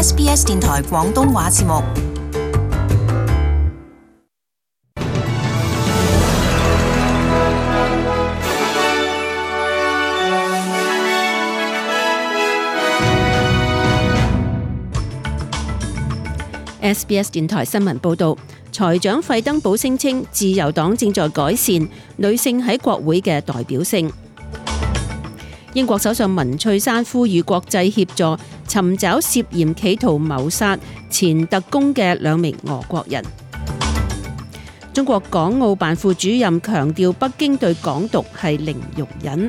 SBS 電台廣東話節目。SBS 電台新聞報導，財長費登堡聲稱自由黨正在改善女性喺國會嘅代表性。英國首相文翠珊呼籲國際協助尋找涉嫌企圖謀殺前特工嘅2名俄國人。中國港澳辦副主任強調北京對港獨係零容忍。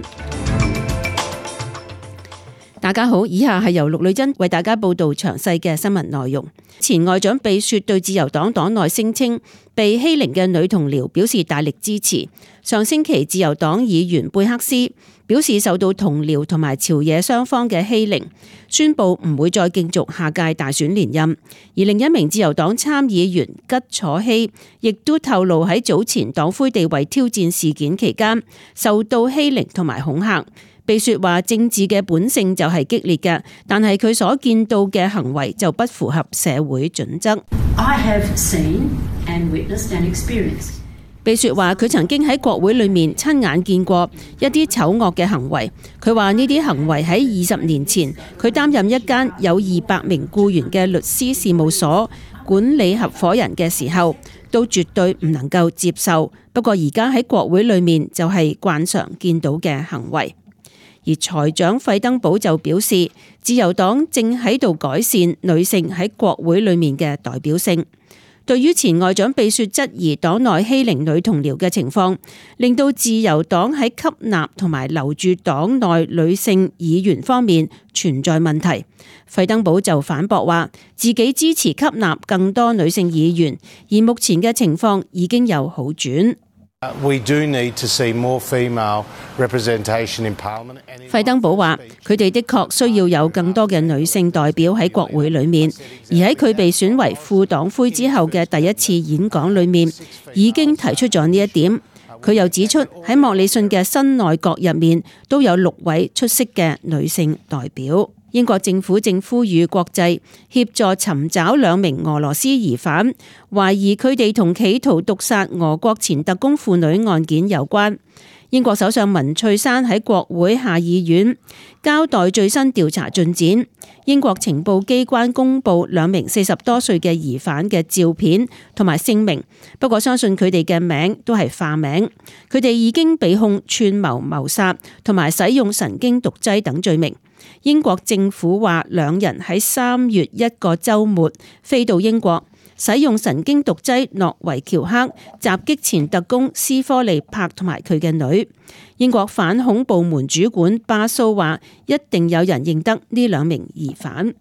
大家好，以下係由陸女珍為大家報道詳細嘅新聞內容。前外長貝雪對自由黨黨內聲稱被欺凌嘅女同僚表示大力支持。上星期自由黨議員貝克斯表示受到同僚同埋朝野雙方嘅欺凌，宣布唔會再競逐下屆大選連任。而另一名自由黨參議員吉楚希亦都透露喺早前黨魁地位挑戰事件期間受到欺凌同埋恐嚇。貝雪話政治嘅本性就係激烈嘅，但係佢所見到嘅行為就不符合社會準則。貝雪話佢曾經喺國會裏面親眼見過一啲醜惡嘅行為。佢話呢啲行為喺20年前佢擔任一間有200名僱員嘅律師事務所管理合夥人嘅時候，都絕對唔能夠接受。不過而家喺國會裏面就係慣常見到嘅行為。而財長費登堡就表示，自由黨正喺度改善女性喺國會裏面嘅代表性。對於前外長貝雪質疑黨內欺凌女同僚嘅情況，令到自由黨喺吸納同埋留住黨內女性議員方面存在問題，費登堡就反駁話自己支持吸納更多女性議員，而目前嘅情況已經有好轉。費登堡話佢哋的確需要有更多嘅女性代表喺國會裏面，而喺佢被選為副黨魁之後嘅第一次演講裏面已經提出咗呢一點。佢又指出喺莫里遜嘅新內閣入面都有6位出色嘅女性代表。英國政府正呼籲國際協助尋找2名俄羅斯疑犯，懷疑佢哋同企圖毒殺俄國前特工婦女案件有關。英國首相文翠珊喺國會下議院交代最新調查進展。英國情報機關公布2名40多歲嘅疑犯嘅照片同埋姓名，不過相信佢哋嘅名都係化名。佢哋已經被控串謀謀殺同埋使用神經毒劑等罪名。英國政府話2人喺3月一個週末飛到英國，使用神經毒劑諾維喬克襲擊前特工斯科利柏同埋佢嘅女。英國反恐部門主管巴蘇話一定有人認得呢2名疑犯。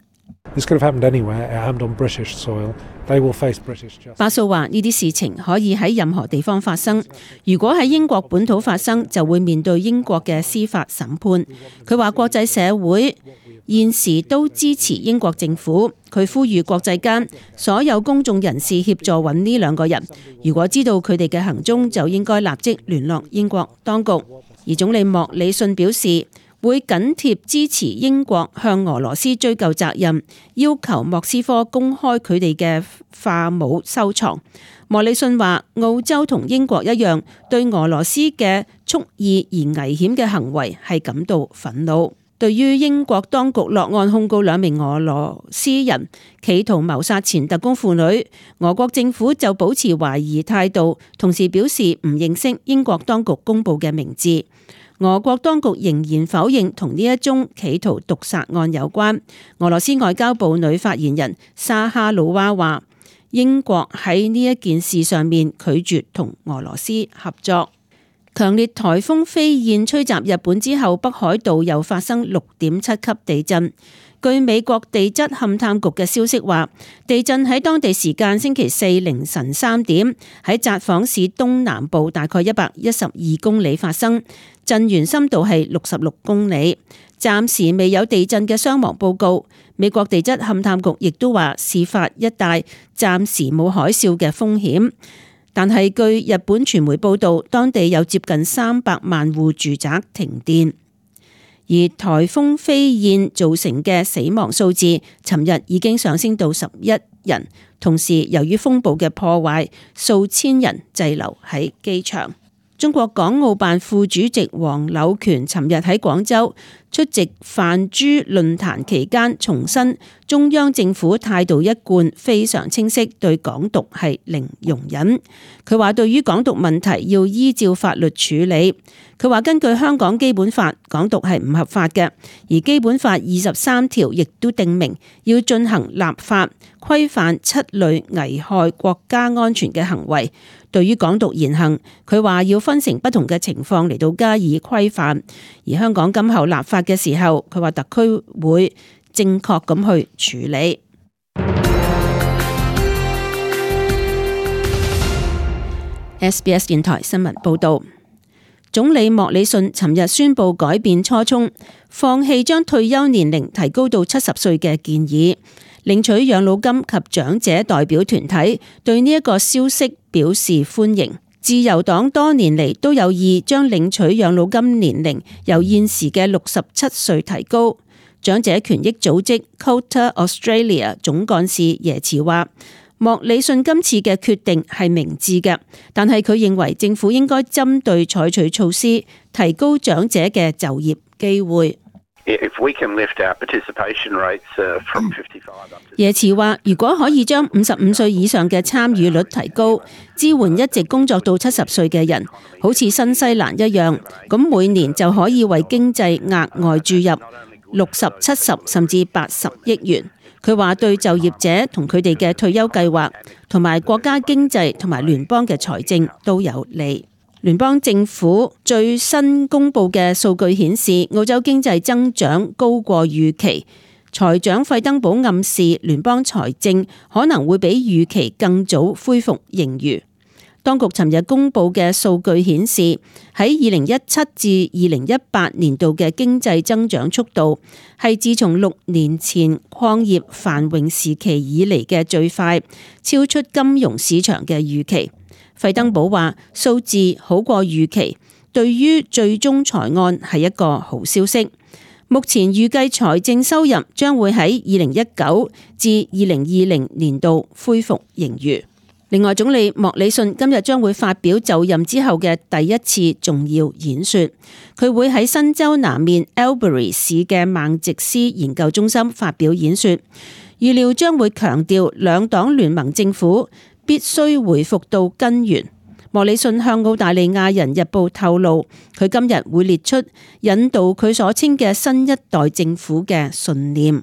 巴蘇話呢啲事情可以喺任何地方發生，如果喺英國本土發生就會面對英國嘅司法審判。佢話國際社會現時都支持英國政府，佢呼籲國際間所有公眾人士協助揾呢2個人，如果知道佢哋嘅行蹤就應該立即聯絡英國當局。而總理莫里遜表示會緊貼支持英國向俄羅斯追究責任，要求莫斯科公開佢哋嘅化武收藏。莫里遜話澳洲同英國一樣，對俄羅斯嘅蓄意而危險嘅行為係感到憤怒。對於英國當局落案控告2名俄羅斯人企圖謀殺前特工婦女，俄國政府就保持懷疑態度，同時表示唔認識英國當局公布嘅名字。俄國當局仍然否認同呢一宗企圖毒殺案有關。俄羅斯外交部女發言人沙哈魯娃話，英國喺呢一件事上面拒絕同俄羅斯合作。強烈颱風飛燕吹襲日本之後，北海道又發生6.7級地震。據美國地質勘探局嘅消息話，地震喺當地時間星期4凌晨3點喺札幌市東南部大概112公里發生，震源深度係66公里。暫時未有地震嘅傷亡報告。美國地質勘探局亦都話，事發一帶暫時冇海嘯嘅風險。但係據日本傳媒報道，當地有接近300萬戶住宅停電。而颱風飛燕造成嘅死亡數字，尋日已經上升到11人。同時，由於風暴嘅破壞，數千人滯留喺機場。中國港澳辦副主席黃柳權尋日喺廣州出席泛珠論壇期間，重申中央政府態度一貫非常清晰，對港獨係零容忍。佢話對於港獨問題要依照法律處理。佢話根據香港基本法，港獨係唔合法嘅，而基本法23條亦都定明要進行立法規範7類危害國家安全嘅行為。對於港獨言行，佢話要分成不同嘅情況嚟到加以規範。而香港今後立法嘅時候，佢話特區會正確咁去處理。SBS 電台新聞報導。總理莫里遜尋日宣布改變初衷，放棄將退休年齡提高到70歲嘅建議。領取養老金及長者代表團體對呢一個消息表示歡迎。自由黨多年嚟都有意將領取養老金年齡由現時嘅67歲提高。長者權益組織 Quota Australia 總幹事耶茨話，莫里遜今次嘅決定係明智嘅，但係佢認為政府應該針對採取措施，提高長者嘅就業機會。耶茨話，如果可以將55歲以上嘅參與率提高，支援一直工作到70歲嘅人，好似新西蘭一樣，咁每年就可以為經濟額外注入60、70甚至80億元。佢話對就業者同佢哋嘅退休計劃，同埋國家經濟同埋聯邦嘅財政都有利。聯邦政府最新公布嘅數據顯示，澳洲經濟增長高過預期。財長費登堡暗示聯邦財政可能會比預期更早恢復盈餘。當局尋日公布嘅數據顯示，喺2017至2018年度嘅經濟增長速度係自從6年前礦業繁榮時期以嚟嘅最快，超出金融市場嘅預期。費登堡話數字好過預期，對於最終財案係一個好消息。目前預計財政收入將會喺2019至2020年度恢復盈餘。另外，總理莫里遜今日將會發表就任之後嘅第一次重要演說，佢會喺新州南面 Albury 市嘅孟迪斯研究中心發表演說，預料將會強調兩黨聯盟政府必須回復到根源。莫里遜向澳大利亞人日報透露，佢今日會列出引導佢所稱嘅新一代政府嘅信念。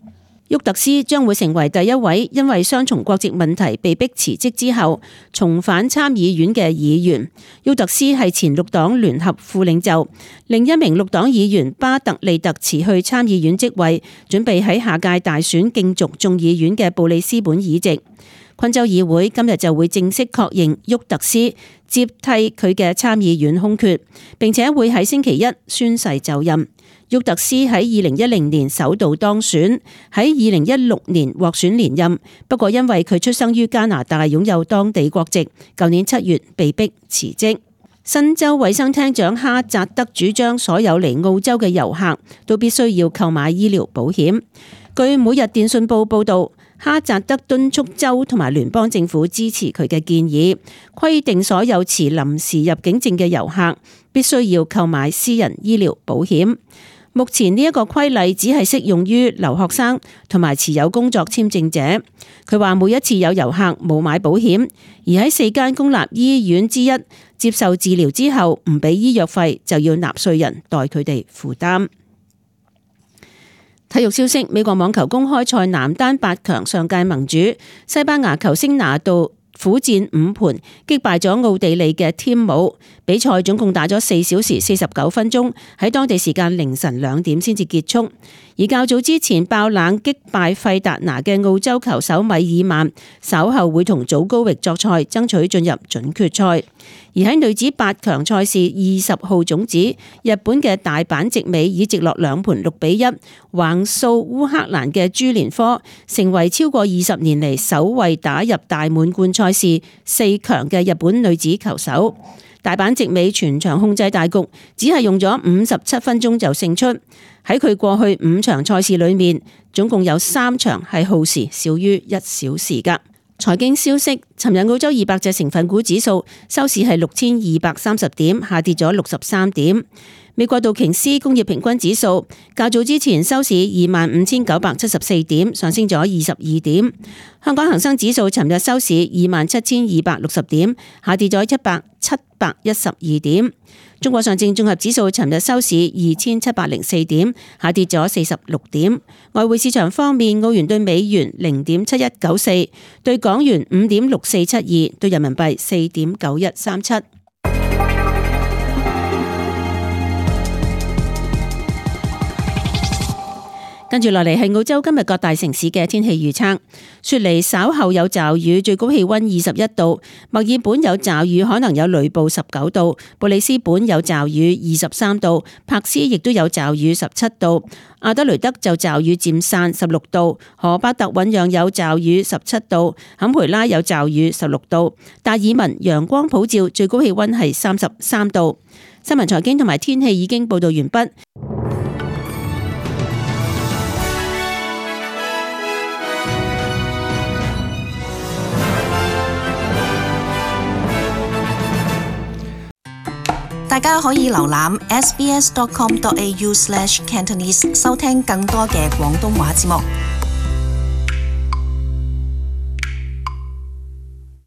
沃特斯將會成為第一位因為雙重國籍問題被迫辭職之後重返參議院嘅議員。沃特斯係前綠黨聯合副領袖，另一名綠黨議員巴特利特辭去參議院職位，準備喺下屆大選競逐眾議院嘅布里斯本議席。昆州議會今日就會正式確認沃特斯接替佢嘅參議院空缺，並且會喺星期一宣誓就任。沃特斯喺2010年首度當選，喺2016年獲選連任，不過因為佢出生於加拿大，擁有當地國籍，舊年7月被迫辭職。新州衛生廳長哈扎德主張所有嚟澳洲嘅遊客都必須要購買醫療保險。據每日電訊報報道，哈扎德敦促州同埋聯邦政府支持佢嘅建議，規定所有持臨時入境證嘅遊客必須要購買私人醫療保險。目前呢一個規例只係適用於留學生同埋持有工作簽證者。佢話每一次有遊客冇買保險，而喺4間公立醫院之一接受治療之後唔俾醫藥費，就要納稅人代佢哋負擔。體育消息：美國網球公開賽男單8強上屆盟主西班牙球星拿度苦戰5盤擊敗咗奧地利嘅添姆，比賽總共打咗4小時49分鐘，喺當地時間凌晨2點先至結束。而較早之前爆冷擊敗費達拿嘅澳洲球手米爾曼，稍後會同祖高域作賽，爭取進入準決賽。而喺女子8強賽事20號種子，日本嘅大阪直美以直落2盤6-1橫掃烏克蘭嘅朱連科，成為超過20年嚟首位打入大滿貫賽事4強嘅日本女子球手。大阪直美全場控制大局，只係用咗57分鐘就勝出。喺佢過去5場賽事裏面，總共有3場係耗時少於1小時㗎。財經消息，尋日澳洲200隻成分股指數收市係6230點，下跌咗63點。美國道瓊斯工業平均指數較早之前收市25,974點，上升咗22點。香港恒生指數尋日收市27,260點，下跌咗712點。中國上證綜合指數尋日收市2,704點，下跌咗46點。外匯市場方面，澳元對美元0.7194，對港元5.6472，對人民幣4.9137。跟住落嚟係澳洲今日各大城市嘅天氣預測。雪梨稍後有驟雨，最高氣溫21度；墨爾本有驟雨，可能有雷暴19度；布里斯本有驟雨23度；柏斯亦都有驟雨17度；阿德雷德就驟雨漸散16度；荷巴特醞釀有驟雨17度；坎培拉有驟雨16度；達爾文陽光普照，最高氣溫係33度。新聞財經同埋天氣已經報道完畢。大家可以瀏覽 sbs.com.au/cantonese 收聽更多嘅廣東話節目。